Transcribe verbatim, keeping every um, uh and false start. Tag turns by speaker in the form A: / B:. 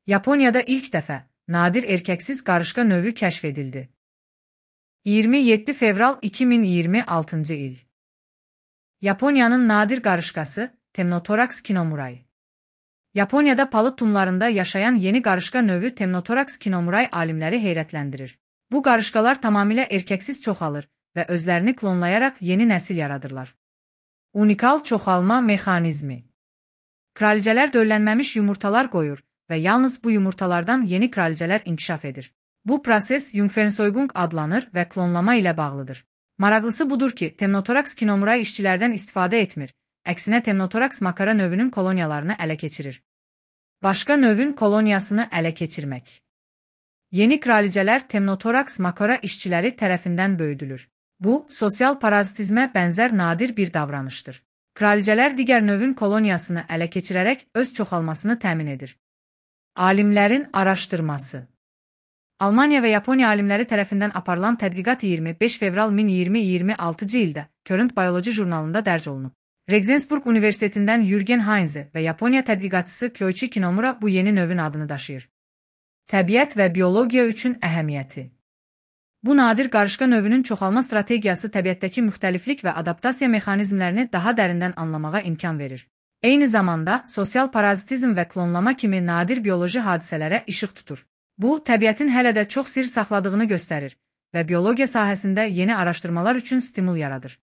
A: Yaponiyada ilk dəfə nadir erkəksiz qarışqa növü kəşf edildi. iyirmi yeddi fevral iki min iyirmi altıncı il. Yaponiyanın nadir qarışqası Temnotorax kinomurai. Yaponiyada palıd tumlarında yaşayan yeni qarışqa növü Temnotorax kinomurai alimləri heyrətləndirir. Bu qarışqalar tamamilə erkəksiz çoxalır və özlərini klonlayaraq yeni nəsil yaradırlar. Unikal çoxalma mexanizmi. Kralicələr döllənməmiş yumurtalar qoyur və yalnız bu yumurtalardan yeni kralicələr inkişaf edir. Bu proses Jungfernzeugung adlanır və klonlama ilə bağlıdır. Maraqlısı budur ki, Temnotorax kinomurai işçilərdən istifadə etmir, əksinə Temnotorax makara növünün koloniyalarını ələ keçirir. Başqa növün koloniyasını ələ keçirmək. Yeni kralicələr Temnotorax makara işçiləri tərəfindən böyüdülür. Bu, sosial parazitizmə bənzər nadir bir davranışdır. Kralicələr digər növün koloniyasını ələ keçirərək öz çoxalmasını təmin edir. Alimlərin araşdırması. Almaniya və Yaponiya alimləri tərəfindən aparılan tədqiqat iyirmi beş fevral min iyirmi iyirmi altıncı ildə Current Biology jurnalında dərc olunub. Regensburg Universitetindən Jürgen Heinze və Yaponiya tədqiqatçısı Kyoichi Kinomura bu yeni növün adını daşıyır. Təbiət və biologiya üçün əhəmiyyəti. Bu nadir qarışqa növünün çoxalma strategiyası təbiətdəki müxtəliflik və adaptasiya mexanizmlərini daha dərindən anlamağa imkan verir. Eyni zamanda sosial parazitizm və klonlama kimi nadir bioloji hadisələrə işıq tutur. Bu, təbiətin hələ də çox sir saxladığını göstərir və biologiya sahəsində yeni araşdırmalar üçün stimul yaradır.